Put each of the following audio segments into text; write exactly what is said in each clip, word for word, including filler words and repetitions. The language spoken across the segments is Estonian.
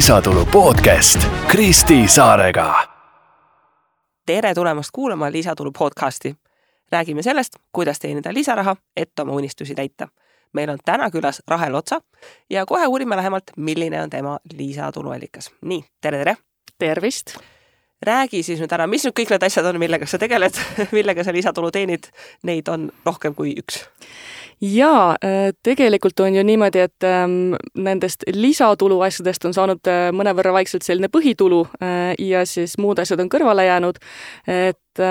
lisatulu podcast Kristi Saarega. Tere tulemast kuulama Lisatulu podcasti. Räägime sellest, kuidas teenida lisaraha, et oma unistusi täita. Meil on täna külas Rahel Otsa ja kohe uurime lähemalt, milline on tema lisatuluallikas. Nii, tere, tere! Tervist! Räägi siis nüüd ära, mis nüüd kõik need asjad on, millega sa tegeled, millega sa lisatulu teenid, neid on rohkem kui üks. Jaa, tegelikult on ju niimoodi, et nendest lisatulu asjadest on saanud mõnevõrra vaikselt selline põhitulu ja siis muud asjad on kõrvale jäänud. Et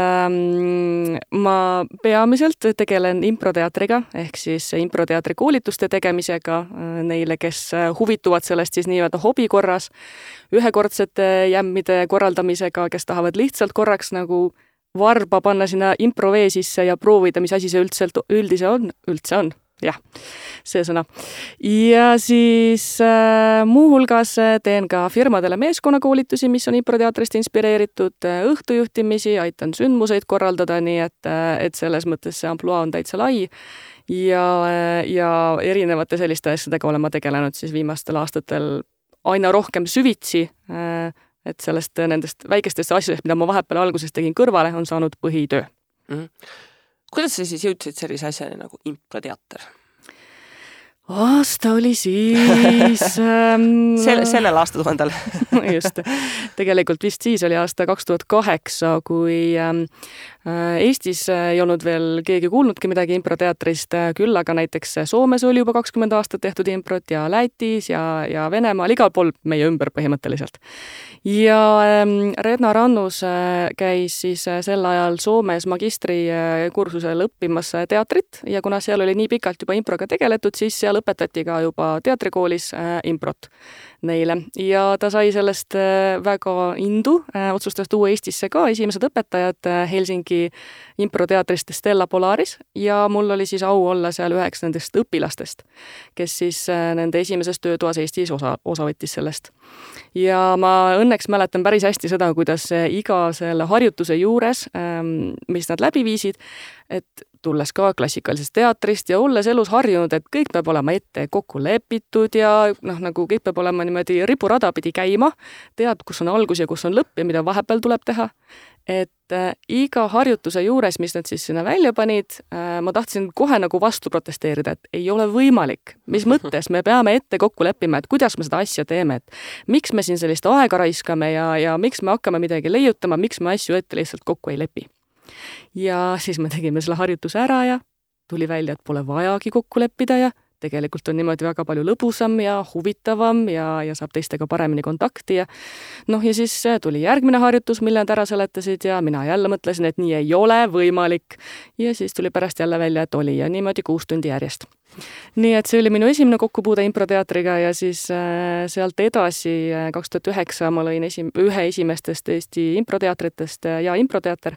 ma peamiselt tegelen improteatriga ehk siis improteatri koolituste tegemisega neile, kes huvituvad sellest siis nii-öelda hobi korras, ühekordsete jämmide korraldamisega, kes tahavad lihtsalt korraks nagu varba panna sinna improvee sisse ja proovida, mis asi see üldse, üldise on, üldse on, jah, see sõna. Ja siis äh, muuhulgas teen ka firmadele meeskonnakoolitusi, mis on improteatrist inspireeritud, õhtujuhtimisi, aitan sündmuseid korraldada, nii et, et selles mõttes see ampluaa on täitsa lai ja, ja erinevate selliste asjadega olen ma tegelenud siis viimastel aastatel aina rohkem süvitsi, äh, et sellest nendest väikestest asjadest, mida ma vahepeal alguses tegin kõrvale, on saanud põhitöö. Mm-hmm. Kuidas sa siis jõudsid sellise asjani nagu improteater? Aasta oli siis... Ähm, Sel, sellel aastatuhandel. Just. Tegelikult vist siis oli aasta kaks tuhat kaheksa, kui ähm, Eestis ei olnud veel keegi kuulnudki midagi improteatrist, küll aga näiteks Soomes oli juba kakskümmend aastat tehtud improt ja Lätis ja, ja Venemaal, igal pool meie ümber põhimõtteliselt. Ja ähm, Redna Rannus äh, käis siis äh, sel ajal Soomes magistri äh, kursusel õppimas teatrit ja kuna seal oli nii pikalt juba improga tegeletud, siis seal õpetati ka juba teatrikoolis äh, improt neile ja ta sai sellest äh, väga indu, äh, otsustas tuua Eestisse ka esimesed õpetajad äh, Helsingi improteatrist Stella Polaris ja mul oli siis au olla seal üheks nendest õpilastest, kes siis äh, nende esimeses töötoas Eestis osa, osa võttis sellest. Ja ma õnneks mäletan päris hästi seda, kuidas iga selle harjutuse juures, ähm, mis nad läbi viisid, et tulles ka klassikalisest teatrist ja olles elus harjunud, et kõik peab olema ette kokku lepitud ja noh, nagu kõik peab olema niimoodi ripurada pidi käima, tead, kus on algus ja kus on lõpp ja mida vahepeal tuleb teha. Et äh, iga harjutuse juures, mis nad siis sinna välja panid, äh, ma tahtsin kohe nagu vastu protesteerida, et ei ole võimalik. Mis mõttes me peame ette kokku leppima, et kuidas me seda asja teeme, et miks me siin sellist aega raiskame ja, ja miks me hakkame midagi leiutama, miks me asju ette lihtsalt kokku ei lepi. Ja siis me tegime selle harjutuse ära ja tuli välja, et pole vajagi kokku leppida ja tegelikult on niimoodi väga palju lõbusam ja huvitavam ja, ja saab teistega paremini kontakti ja noh, ja siis tuli järgmine harjutus, mille nad ära seletasid ja mina jälle mõtlesin, et nii ei ole võimalik ja siis tuli pärast jälle välja, et oli ja niimoodi kuus tundi järjest. Nii et see oli minu esimene kokkupuude improteatriga ja siis äh, sealt edasi äh, kaks tuhat üheksa ma lõin esim- ühe esimestest Eesti improteatritest äh, ja improteater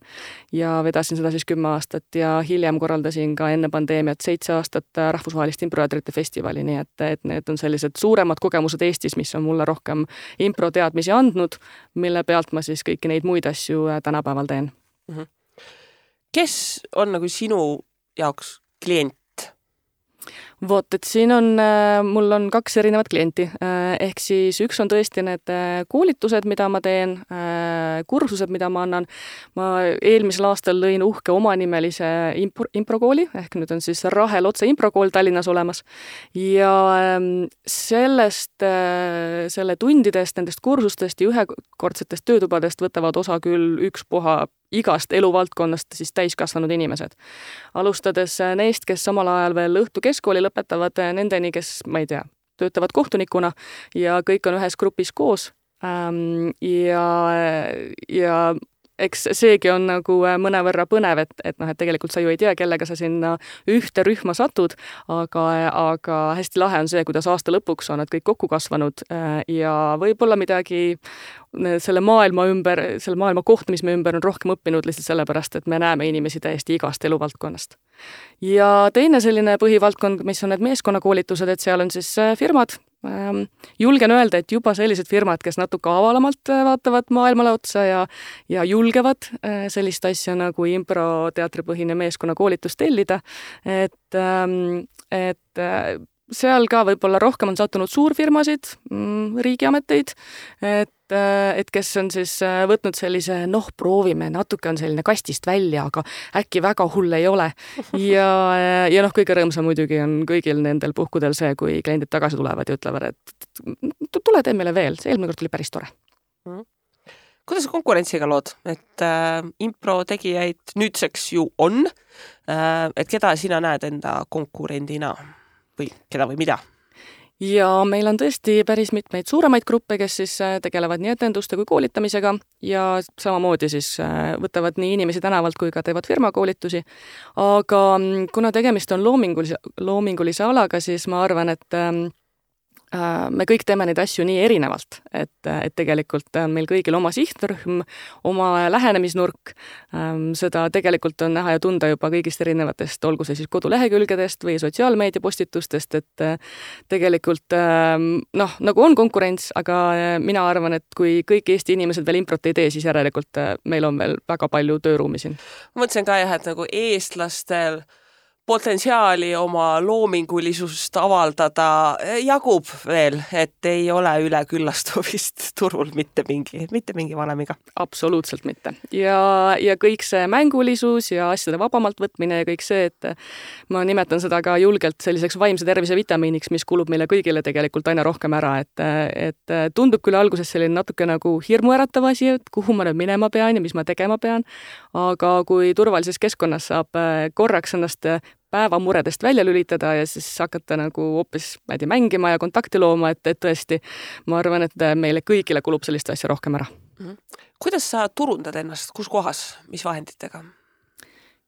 ja vedasin seda siis kümme aastat ja hiljem korraldasin ka enne pandeemiat seitse aastat äh, rahvusvahelist improteatrite festivali, nii et, et need on sellised suuremad kogemused Eestis, mis on mulle rohkem improteadmisi andnud, mille pealt ma siis kõiki neid muid asju äh, tänapäeval teen. Mm-hmm. Kes on nagu sinu jaoks klient? Vot, et siin on, mul on kaks erinevat klienti, ehk siis üks on tõesti need koolitused, mida ma teen, kursused, mida ma annan. Ma eelmisel aastal lõin uhke omanimelise impro, improkooli, ehk nüüd on siis Rahel Otsa improkool Tallinnas olemas. Ja sellest, selle tundidest, nendest kursustest ja ühekordsetest töötubadest võtavad osa küll üks puha igast eluvaldkonnast siis täiskasvanud inimesed. Alustades neist, kes samal ajal veel õhtu keskkooli lõpetavad, nendeni, kes, ma ei tea, töötavad kohtunikuna ja kõik on ühes grupis koos. Ja, ja eks seegi on nagu mõnevõrra põnev, et, et, noh, et tegelikult sa ju ei tea, kellega sa sinna ühte rühma satud, aga, aga hästi lahe on see, kuidas aasta lõpuks on nad kõik kokku kasvanud ja võib-olla midagi selle maailma ümber, selle maailma koht, mis me ümber on rohkem õppinud lihtsalt sellepärast, et me näeme inimesi täiesti igast eluvaldkonnast. Ja teine selline põhivaldkond, mis on need meeskonnakoolitused, et seal on siis firmad. Julgen öelda, et juba sellised firmad, kes natuke avalamalt vaatavad maailmale otsa ja, ja julgevad sellist asja nagu improteatripõhine meeskonnakoolitus tellida, et, et seal ka võib-olla rohkem on sattunud suurfirmasid, riigiameteid, et, et kes on siis võtnud sellise, noh, proovime, natuke on selline kastist välja, aga äkki väga hull ei ole. Ja, ja noh, kõige rõõmsam muidugi on kõigil nendel puhkudel see, kui kliendid tagasi tulevad ja ütlevad, et tule tee meile veel, see eelmine kord tuli päris tore. Mm. Kuidas konkurentsiga lood? Et äh, impro tegijaid nüüdseks ju on, äh, et keda sina näed enda konkurendina või keda või mida? Ja meil on tõesti päris mitmeid suuremaid gruppe, kes siis tegelevad nii etenduste kui koolitamisega ja samamoodi siis võtavad nii inimesi tänavalt kui ka teevad firmakoolitusi. Aga kuna tegemist on loomingulise, loomingulise alaga, siis ma arvan, et me kõik teeme neid asju nii erinevalt, et, et tegelikult on meil kõigil oma sihtrühm, oma lähenemisnurk, seda tegelikult on näha ja tunda juba kõigist erinevatest, olgu see siis kodulehekülgedest või sotsiaalmeediapostitustest, et tegelikult noh, nagu on konkurents, aga mina arvan, et kui kõik Eesti inimesed veel improt ei tee, siis järelikult meil on veel väga palju tööruumi siin. Ma mõtlesin ka jah, et nagu eestlastel potentsiaali oma loomingulisust avaldada jagub veel, et ei ole üle küllastumist turul mitte mingi, mitte mingi valemiga. Absoluutselt mitte. Ja, ja kõik see mängulisus ja asjade vabamalt võtmine ja kõik see, et ma nimetan seda ka julgelt selliseks vaimse tervise vitamiiniks, mis kulub meile kõigile tegelikult aina rohkem ära, et, et tundub küll alguses selline natuke nagu hirmuäratav asi, et kuhu ma nüüd minema pean ja mis ma tegema pean, aga kui turvalises keskkonnas saab korraks ennast päevamuredest välja lülitada ja siis hakata nagu hoopis mädi mängima ja kontakti looma, et, et tõesti, ma arvan, et meile kõigile kulub sellist asja rohkem ära. Kuidas sa turundad ennast, kus kohas, mis vahenditega?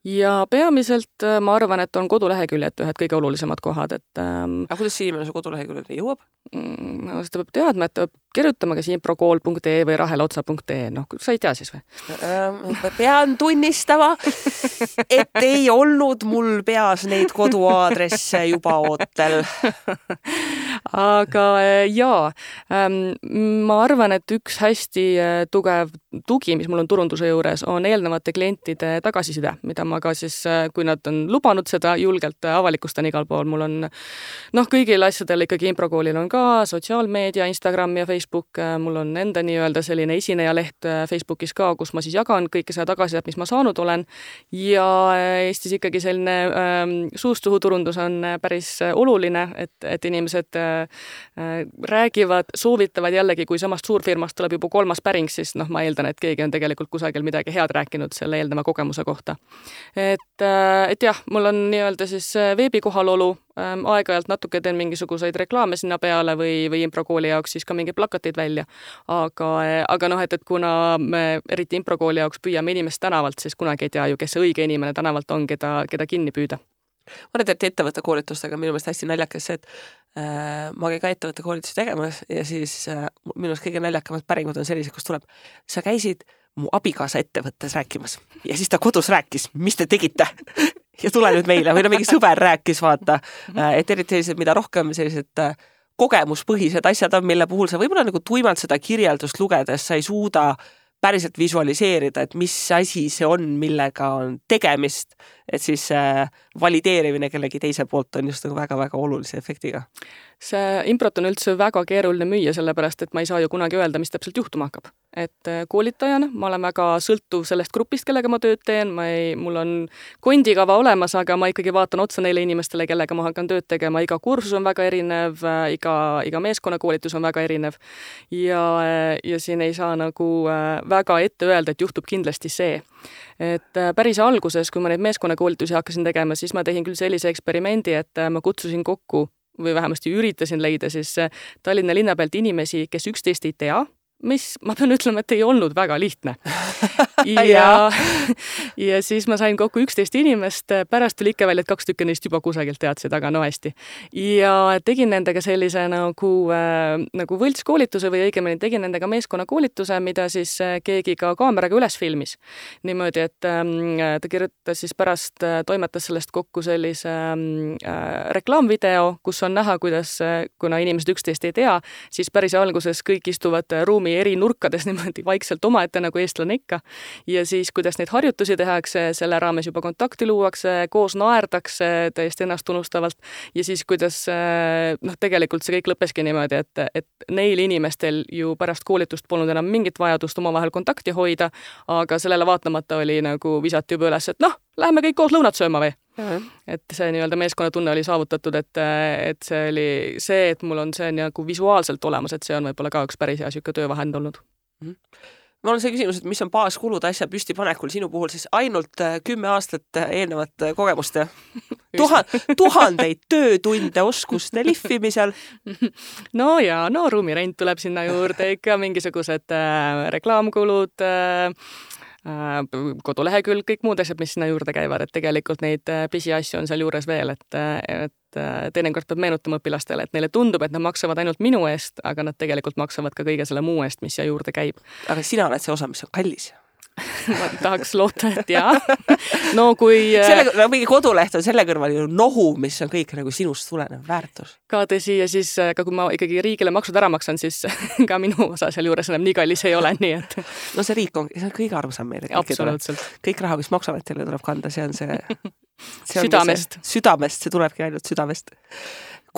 Ja peamiselt ma arvan, et on koduleheküljed ühed kõige olulisemad kohad. Et, ähm, aga kuidas see inimene su koduleheküljed jõuab? Mm, seda peab teadma, et peab kirjutama kas improkool punkt ee või rahelotsa punkt ee. Noh, sa ei tea siis või? Pean tunnistama, et ei olnud mul peas neid koduaadresse juba ootel. Aga jaa, ma arvan, et üks hästi tugev tugi, mis mul on turunduse juures, on eelnevate klientide tagasiside, mida ma ka siis, kui nad on lubanud seda julgelt avalikustan igal pool. Mul on, noh, kõigil asjadel ikkagi improkoolil on ka sotsiaalmeedia, Instagram ja Facebook. Mul on enda nii-öelda selline esinejaleht Facebookis ka, kus ma siis jagan kõike seda tagasisidet, mis ma saanud olen. Ja Eestis ikkagi selline ähm, suust-suhu turundus on päris oluline, et, et inimesed äh, räägivad, soovitavad jällegi, kui samast suurfirmast tuleb juba kolmas päring, siis noh, ma eeldan, et keegi on tegelikult kusagil midagi head rääkinud selle eelneva kogemuse kohta. Et, et jah, mul on nii-öelda siis veebikohalolu, aeg-ajalt natuke teen mingisuguseid reklaame sinna peale või, või improkooli jaoks siis ka mingi plakatid välja. Aga, aga noh, et, et kuna me eriti improkooli jaoks püüame inimest tänavalt, siis kunagi ei tea ju, kes see õige inimene tänavalt on, keda, keda kinni püüda. Ma olen teed ettevõtte koolitustega minu meelest hästi naljakas see, et äh, ma käin ka ettevõtte koolitusi tegemas ja siis äh, minu meelest kõige naljakamad päringud on sellised, kus tuleb, sa käisid mu abikaasa ettevõttes rääkimas ja siis ta kodus rääkis, mis te tegite ja tule nüüd meile või no mingi sõber rääkis, vaata, et eriti sellised, mida rohkem sellised kogemuspõhised asjad on, mille puhul sa võib-olla nagu tuimalt seda kirjeldust lugedes sa ei suuda päriselt visualiseerida, et mis asi see on, millega on tegemist, et siis valideerimine kellegi teise poolt on just nagu väga-väga olulise efektiga. See improt on üldse väga keeruline müüa, sellepärast, et ma ei saa ju kunagi öelda, mis täpselt juhtuma hakkab. Et koolitajana ma olen väga sõltuv sellest grupist, kellega ma tööd teen, ma ei, mul on kondikava olemas, aga ma ikkagi vaatan otsa neile inimestele, kellega ma hakkan tööd tegema. Iga kursus on väga erinev, iga, iga meeskonnakoolitus on väga erinev ja, ja siin ei saa nagu väga ette öelda, et juhtub kindlasti see. Et päris alguses, kui ma neid meeskonnakoolitusi hakkasin tegema, siis ma tegin küll sellise eksperimendi, et ma kutsusin kokku või vähemasti üritasin leida siis Tallinna linna pealt inimesi, kes üksteist ei tea, mis ma pean ütlema, et ei olnud väga lihtne. Ja, ja siis ma sain kokku üksteist inimest, pärast tuli ikka välja, et kaks tükki neist juba kusagilt teadsid, aga no hästi. Ja tegin nendega sellise nagu, äh, nagu võltskoolituse või õigemini tegin nendega meeskonnakoolituse, mida siis keegi ka kaameraga üles filmis. Niimoodi, et äh, ta kirjutas siis pärast, äh, toimetas sellest kokku sellise äh, reklaamvideo, kus on näha, kuidas, kuna inimesed üksteist ei tea, siis päris alguses kõik istuvad ruumi eri nurkades niimoodi vaikselt omaette nagu eestlane ikka ikka. Ja siis, kuidas neid harjutusi tehakse, selle raames juba kontakti luuakse, koos naerdakse täiesti ennast unustavalt ja siis, kuidas noh, tegelikult see kõik lõppeski niimoodi, et, et neil inimestel ju pärast koolitust polnud enam mingit vajadust omavahel kontakti hoida, aga sellele vaatamata oli nagu visati juba üles, et noh, läheme kõik koos lõunat sööma või? Ja. Et see nii-öelda meeskonnatunne oli saavutatud, et, et see oli see, et mul on see nagu visuaalselt olemas, et see on võib-olla ka üks päris hea siuke töövahend olnud. Mm-hmm. Mul on see küsimus, et mis on baaskulud asja püstipanekul sinu puhul siis ainult kümme aastat eelnevat kogemust ja tuhan, tuhandeid töötunde oskuste lihvimisel. No ja, no ruumirent tuleb sinna juurde ikka, mingisugused äh, reklaamkulud, äh, kodulehekülg, kõik muud asjad, mis sinna juurde käivad, et tegelikult neid pisiasju on seal juures veel, et, et teinekord peab meenutama õpilastele, et neile tundub, et nad maksavad ainult minu eest, aga nad tegelikult maksavad ka kõige selle muu eest, mis siia juurde käib. Aga sina oled see osa, mis on kallis. Ma tahaks loota, et jaa. No kui... Selle, no, mingi koduleht on selle kõrval ju nohu, mis on kõik nagu sinust tulenev väärtus. Ka tõsi, ja siis ka kui ma ikkagi riigile maksud ära maksan, siis ka minu osa seal juures enam nii kallis ei ole, nii et... No see riik on, see on kõige arvsam meile. Absoluutselt. Kõik raha, mis maksametele tuleb kanda, see on see... see südamest. See, südamest, see tulebki ainult südamest.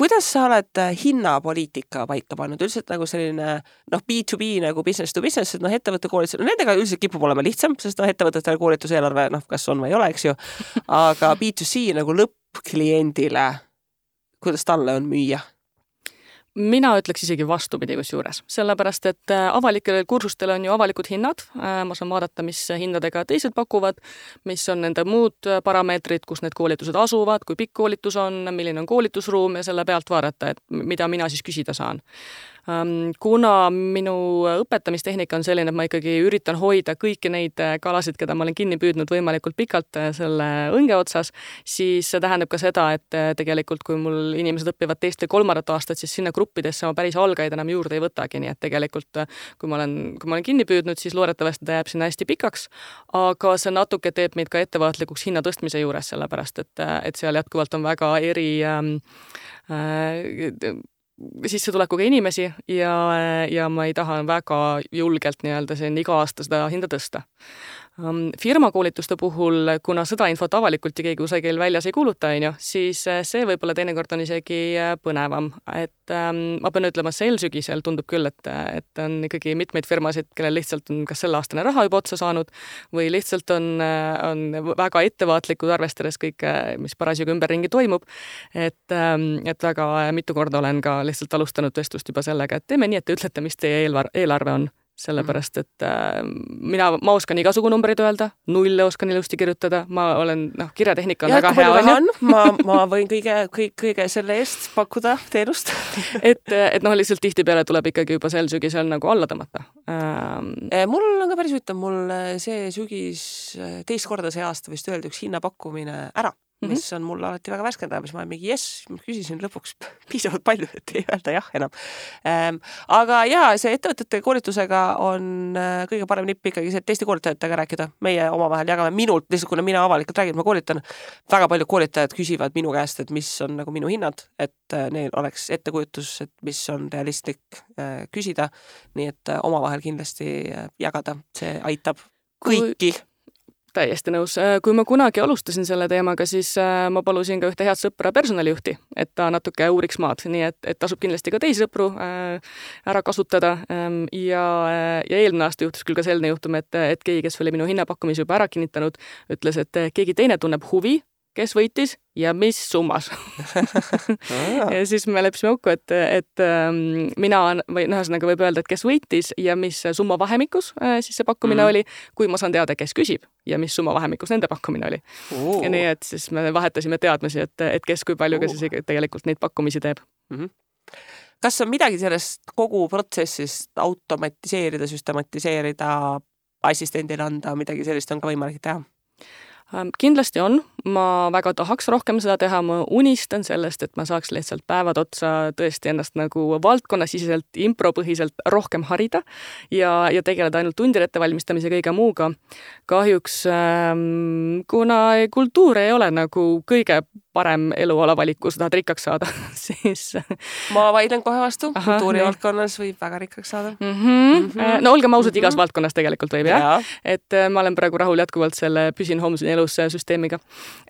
Kuidas sa oled hinnapoliitika paika pannud? Üldiselt nagu selline noh, B to B nagu business to business, et noh, ettevõtte koolitus, no nendega üldiselt kipub olema lihtsam, sest noh, ettevõtetele koolituseelarve, noh, kas on või ei ole, eks ju. Aga B to C nagu lõppkliendile, kuidas talle on müüa? Mina ütleks isegi vastupidi kusjuures, sellepärast, et avalikele kursustele on ju avalikud hinnad, ma saan vaadata, mis hindadega teised pakuvad, mis on nende muud parameetrid, kus need koolitused asuvad, kui pikk koolitus on, milline on koolitusruum ja selle pealt vaadata, et mida mina siis küsida saan. Kuna minu õpetamistehnika on selline, et ma ikkagi üritan hoida kõiki neid kalasid, keda ma olen kinni püüdnud võimalikult pikalt selle õnge otsas, siis see tähendab ka seda, et tegelikult kui mul inimesed õpivad teist või kolmandat aastat, siis sinna gruppidesse ma päris algaid enam juurde ei võtagi, nii et tegelikult kui ma olen, kui ma olen kinni püüdnud, siis loodetavasti ta jääb sinna hästi pikaks, aga see natuke teeb meid ka ettevaatlikuks hinna tõstmise juures, sellepärast et, et seal jätkuvalt on väga eri ähm, äh, sissetulekuga inimesi ja, ja ma ei taha väga julgelt nii-öelda siin iga aasta seda hinda tõsta. Firmakoolituste puhul, kuna seda infot avalikult ja keegi kusagil väljas ei kuuluta, on ju, siis see võib-olla teinekord on isegi põnevam. Et ähm, ma pean ütlema, sel sügisel tundub küll, et, et on ikkagi mitmeid firmasid, kellel lihtsalt on kas selle aastane raha juba otsa saanud või lihtsalt on, on väga ettevaatlikud arvestades kõik, mis parasjagu ümberringi toimub. Et, ähm, et väga mitu korda olen ka lihtsalt alustanud vestlust juba sellega, et teeme nii, et te ütlete, mis teie eelarve on. Sellepärast, et äh, mina, ma oskan igasugu numbreid öelda, nulle oskan ilusti kirjutada, ma olen, noh, kirjatehnika on ja, väga hea. On, ma, ma võin kõige, kõige, kõige selle eest pakkuda teenust. et, et noh, lihtsalt tihtipeale tuleb ikkagi juba sel sügisel nagu alla tõmmata. Ähm... Mul on ka päris ütlem, mul see sügis teist korda see aasta vist öeldi üks hinnapakkumine ära. mis on mul alati väga värskendav, mis ma olen mingi jess, ma küsisin lõpuks piisavalt palju, et ei öelda jah enam. Ähm, aga jaa, see ettevõtete koolitusega on kõige parem nipp ikkagi see, et teiste koolitajatega rääkida. Meie omavahel jagame minult, lihtsalt kuna mina avalikult räägin, ma koolitan, väga paljud koolitajad küsivad minu käest, et mis on nagu minu hinnad, et neil oleks ettekujutus, et mis on realistlik äh, küsida, nii et äh, omavahel kindlasti äh, jagada, see aitab kõiki. Kui... Täiesti nõus. Kui ma kunagi alustasin selle teemaga, siis ma palusin ka ühte head sõpra personalijuhti, et ta natuke uuriks maad, nii et, et tasub kindlasti ka teisi sõpru ära kasutada. Ja, ja eelmine aasta juhtus küll ka selline juhtum, et, et keegi, kes oli minu hinnapakkumise juba ära kinnitanud, ütles, et keegi teine tunneb huvi, kes võitis ja mis summas. ja siis me leppisime kokku, et, et mina, või ühesõnaga võib öelda, et kes võitis ja mis summa vahemikus siis see pakkumine mm. oli, kui ma saan teada, kes küsib ja mis summa vahemikus nende pakkumine oli. Uh. Ja nii, et siis me vahetasime teadmisi, et, et kes kui palju uh. ka siis tegelikult neid pakkumisi teeb. Mm-hmm. Kas on midagi sellest kogu protsessist automatiseerida, süstematiseerida, assistendile anda, midagi sellist on ka võimalik teha? Kindlasti on, ma väga tahaks rohkem seda teha, ma unistan sellest, et ma saaks lihtsalt päevad otsa tõesti ennast nagu valdkonnasiselt, impropõhiselt rohkem harida ja, ja tegeleda ainult tundide ettevalmistamise kõige muuga. Kahjuks, ähm, kuna kultuur ei ole nagu kõige parem eluala valik, kui sa tahad rikkaks saada, siis ma vaidlen kohe vastu, kultuurivaldkonnas võib väga rikkaks saada. Mm -hmm. Mm -hmm. No olgem ausad, mm -hmm. igas valdkonnas tegelikult võib, jah. Ja. Et ma olen praegu rahul jätkuvalt selle püsin homseni elus süsteemiga.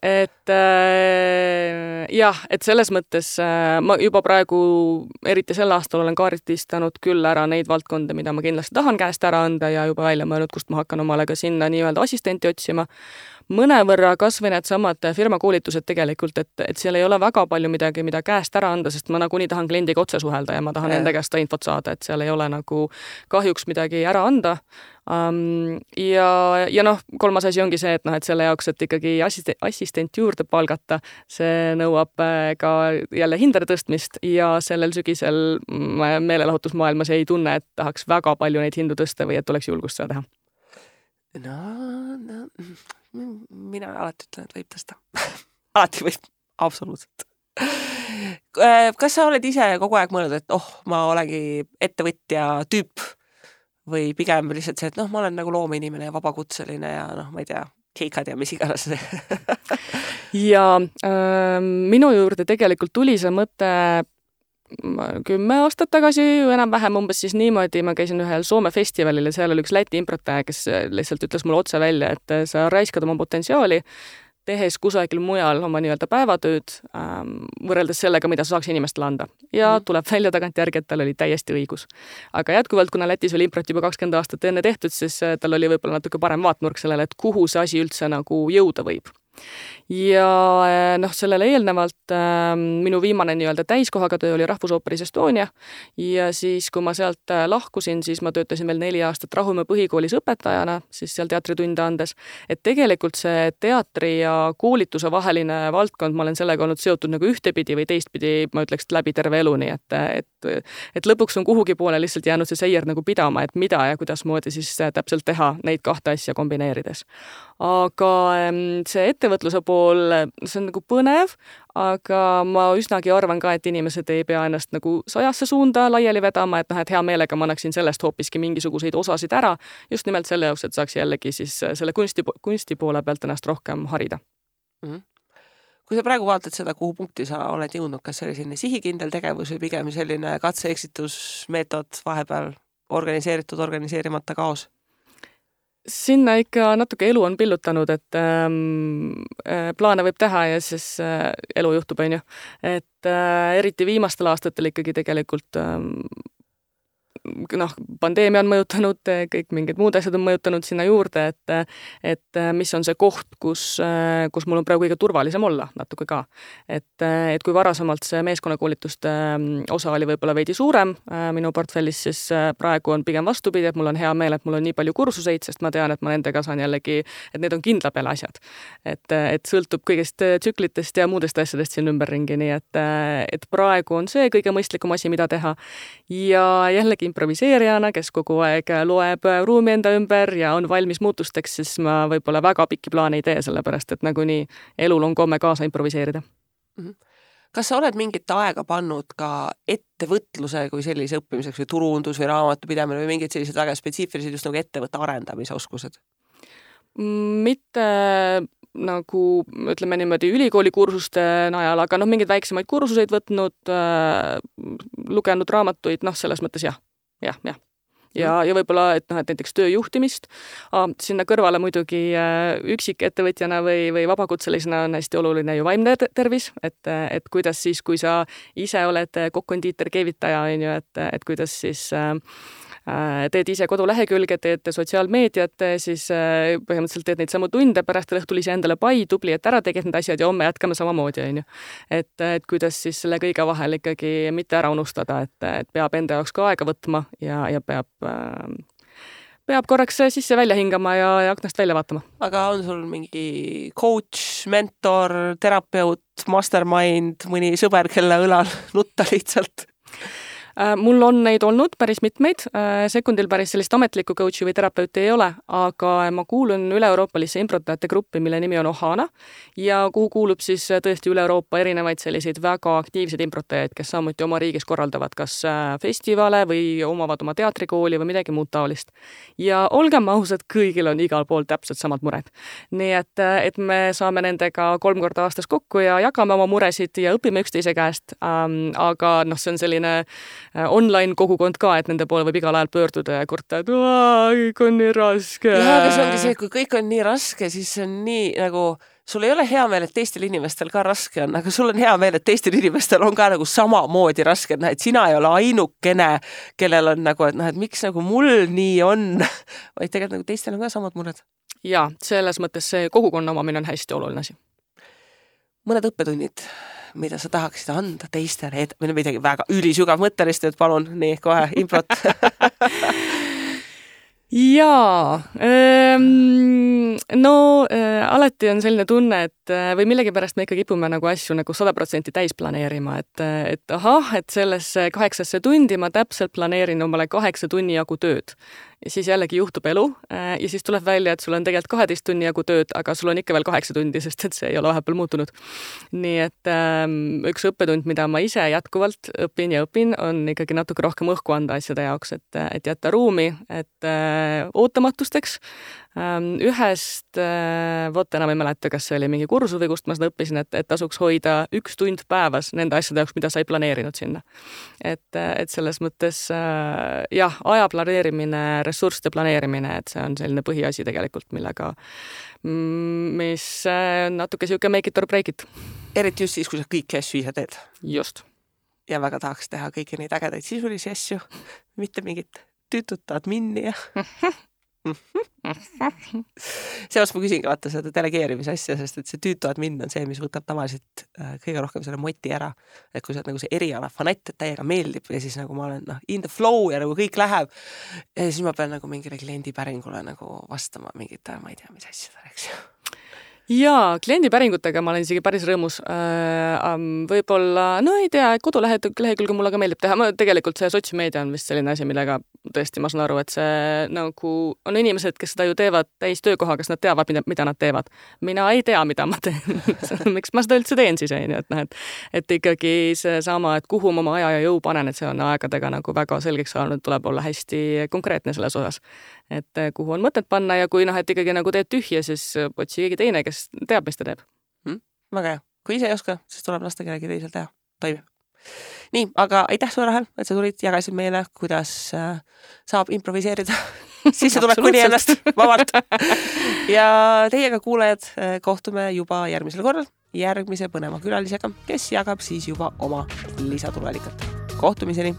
Et äh, jah, et selles mõttes äh, ma juba praegu, eriti sel aastal olen kaardistanud küll ära neid valdkonda, mida ma kindlasti tahan käest ära anda ja juba välja mõelnud, kust ma hakkan omale ka sinna nii-öelda assistenti otsima. Mõnevõrra kasvõi need samad firmakoolitused tegelikult, et, et seal ei ole väga palju midagi, mida käest ära anda, sest ma nagunii tahan kliendiga otse suhelda ja ma tahan enda käest infot saada, et seal ei ole nagu kahjuks midagi ära anda. Um, ja, ja noh, kolmas asi ongi see, et noh, et selle jaoks, et ikkagi assistent, assistent juurde palgata, see nõuab ka jälle hindade tõstmist ja sellel sügisel meelelahutusmaailmas ei tunne, et tahaks väga palju neid hindu tõsta või et oleks julgust seda teha. No, no, mina alati ütlen, et võib tõsta. Alati võib, absoluutselt. Kas sa oled ise kogu aeg mõelnud, et oh, ma olengi ettevõtja tüüp või pigem lihtsalt see, et noh, ma olen nagu loomeinimene ja vabakutseline ja noh, ma ei tea, keikad ja mis iganes. ja äh, minu juurde tegelikult tuli see mõte kümme aastat tagasi, enam-vähem umbes siis niimoodi, ma käisin ühel Soome festivalil ja seal oli üks Läti improtaja, kes lihtsalt ütles mulle otse välja, et sa raiskad oma potentsiaali, tehes kusagil mujal oma nii-öelda päevatööd ähm, võrreldes sellega, mida sa saaks inimestele anda. Ja mm. tuleb välja tagantjärgi, et tal oli täiesti õigus. Aga jätkuvalt, kuna Lätis oli improt juba kakskümmend aastat enne tehtud, siis tal oli võib-olla natuke parem vaatnurk sellele, et kuhu see asi üldse nagu jõuda võib. Ja noh, sellele eelnevalt äh, minu viimane nii-öelda täiskohaga töö oli Rahvusooperis Estonia ja siis, kui ma sealt lahkusin, siis ma töötasin veel neli aastat Rahumäe põhikoolis õpetajana, siis seal teatritunde andes, et tegelikult see teatri ja koolituse vaheline valdkond, ma olen sellega olnud seotud nagu ühtepidi või teistpidi, ma ütleks läbi terve elu, nii et, et, et lõpuks on kuhugi poole lihtsalt jäänud see seier nagu pidama, et mida ja kuidas moodi siis täpselt teha neid kahte asja kombineerides. Aga see ettevõtluse pool, see on nagu põnev, aga ma üsnagi arvan ka, et inimesed ei pea ennast nagu sajasse suunda laiali vedama, et noh, et hea meelega ma annaksin sellest hoopiski mingisuguseid osasid ära, just nimelt selle jaoks, et saaks jällegi siis selle kunsti, kunsti poole pealt ennast rohkem harida. Mm-hmm. Kui sa praegu vaatad seda, kuhu punkti sa oled jõudnud, kas see oli selline sihikindel tegevus või pigem selline katse-eksitusmeetod vahepeal organiseeritud, organiseerimata kaos? Sinna ikka natuke elu on pillutanud, et ähm, plaane võib teha ja siis äh, elu juhtub, on ju. Et äh, eriti viimastel aastatel ikkagi tegelikult ähm, noh, pandeemia on mõjutanud, kõik mingid muud asjad on mõjutanud sinna juurde, et, et mis on see koht, kus, kus mul on praegu kõige turvalisem olla natuke ka. Et, et kui varasemalt see meeskonnakoolituste osa oli võib-olla veidi suurem minu portfellis, siis praegu on pigem vastupidi, et mul on hea meel, et mul on nii palju kursuseid, sest ma tean, et ma nendega saan jällegi, et need on kindla peale asjad. Et, et sõltub kõigest tsüklitest ja muudest asjadest siin ümberringi, nii et, et praegu on see kõige mõistlikum asi, mida teha. Ja jällegi improviseerijana, kes kogu aeg loeb ruumi enda ümber ja on valmis muutusteks, siis ma võib-olla väga pikki plaane ei tee, sellepärast et nagunii elul on komme kaasa improviseerida. Kas sa oled mingit aega pannud ka ettevõtluse kui sellise õppimiseks või turundus või raamatupidamine või mingid sellised väga spetsiifilised just nagu ettevõtte arendamise oskused? Mitte nagu, ütleme niimoodi, ülikooli kursuste najal, aga noh, mingeid väiksemaid kursuseid võtnud, äh, lugenud raamatuid, noh, selles mõttes jah, jah, jah. Ja, ja võib-olla, et, noh, et näiteks tööjuhtimist, ah, sinna kõrvale muidugi äh, üksik ettevõtjana või, või vabakutselisena on hästi oluline ju vaimne tervis, et, et kuidas siis, kui sa ise oled kokk-kondiiter, keevitaja, on ju, et, et kuidas siis äh, teed ise kodulehekülge, teed sotsiaalmeediat, siis põhimõtteliselt teed neid samu tunde, pärast õhtul ise endale pai, tubli, et ära teged need asjad ja homme jätkame samamoodi, on ju. Et, et kuidas siis selle kõige vahel ikkagi mitte ära unustada, et, et peab enda jaoks ka aega võtma ja, ja peab, peab korraks sisse välja hingama ja, ja aknast välja vaatama. Aga on sul mingi coach, mentor, terapeut, mastermind, mõni sõber, kelle õlal nutta lihtsalt? Mul on neid olnud päris mitmeid, sekundil päris sellist ametlikku coachi või terapeuti ei ole, aga ma kuulun üle-euroopalisse improtajate gruppi, mille nimi on Ohana ja kuhu kuulub siis tõesti üle Euroopa erinevaid selliseid väga aktiivseid improtajaid, kes samuti oma riigis korraldavad kas festivale või omavad oma teatrikooli või midagi muud taolist. Ja olgem ausad, kõigil on igal pool täpselt samad mured. Nii et, et me saame nendega kolm korda aastas kokku ja jagame oma muresid ja õpime üksteise käest, ähm, aga noh, see on selline online kogukond ka, et nende poole võib igal ajal pöörduda ja kurta, et kõik on nii raske. Ja, aga see ongi see, kui kõik on nii raske, siis see on nii nagu, sul ei ole hea meel, et teistel inimestel ka raske on, aga sul on hea meel, et teistel inimestel on ka nagu samamoodi raske, et, noh, et sina ei ole ainukene, kellel on nagu, et, noh, et miks nagu mul nii on, vaid tegelikult nagu teistel on ka samad mured. Ja, selles mõttes see kogukonna omamine on hästi oluline asi. Mõned õppetunnid, mida sa tahaksid anda teistele, et või midagi väga ülisügav mõttelist, et palun, nii, kohe, improt. Jaa, no äh, alati on selline tunne, et või millegipärast me ikka kipume nagu asju nagu sada protsenti täis planeerima, et, et ahah, et sellesse kaheksasse tundi ma täpselt planeerin omale kaheksa tunni jagu tööd. Ja siis jällegi juhtub elu ja siis tuleb välja, et sul on tegelikult kaheteist tunni jagu tööd, aga sul on ikka veel kaheksa tundi, sest et see ei ole vahepeal muutunud. Nii et ähm, üks õppetund, mida ma ise jätkuvalt õpin ja õpin, on ikkagi natuke rohkem õhku anda asjade jaoks, et, et jätta ruumi, et äh, ootamatusteks. Ähm, ühest, äh, vot enam ei mäleta, kas see oli mingi kursus või kust ma seda õppisin, et, et tasuks hoida üks tund päevas nende asjade jaoks, mida sa ei planeerinud sinna. Et, et selles mõttes äh, jah, aja planeerimine, ressursside planeerimine, et see on selline põhiasi tegelikult, millega, mis natuke siuke make it or break it. Eriti just siis, kui sa kõiki asju ise teed. Just. Ja väga tahaks teha kõiki neid ägedaid sisulisi asju, mitte mingit tüütut admini ja seepärast ma küsingi vaata seda delegeerimise asja, sest et see tüütu admin on see, mis võtab tavaliselt kõige rohkem selle moti ära, et kui sa oled nagu see eriala fanatt, et täiega meeldib ja siis nagu ma olen noh, in the flow ja nagu kõik läheb ja siis ma pean nagu mingile kliendipäringule nagu vastama mingit, ma ei tea, mis asjadele, eks ju. Jaa, kliendipäringutega ma olen isegi päris rõõmus. Võib-olla, no ei tea, kodulehekülge mulle ka meeldib teha. Ma tegelikult see sotsiaalmeedia on vist selline asi, millega tõesti ma saan aru, et see nagu on inimesed, kes seda ju teevad täis töökoha, kas nad teavad, mida, mida nad teevad. Mina ei tea, mida ma teen. Miks ma seda üldse teen siis, et, noh, et, et ikkagi see sama, et kuhu ma oma aja ja jõu panen, et see on aegadega nagu väga selgeks saanud, tuleb olla hästi konkreetne selles osas. Et kuhu on mõtet panna ja kui noh, et ikkagi nagu teed tühja, siis otsi keegi teine, kes teab, mis ta teeb. Hmm? Väga hea. Kui ise ei oska, siis tuleb lasta kellegi teisel teha. Toimib. Nii, aga aitäh sulle, Rahel, et sa tulid, jagasid meile, kuidas äh, saab improviseerida. Siis see tuleb kuni ennast vabalt. Ja teiega kuulajad kohtume juba järgmisel korral järgmise põneva külalisega, kes jagab siis juba oma lisatulealikat. Kohtumiseni!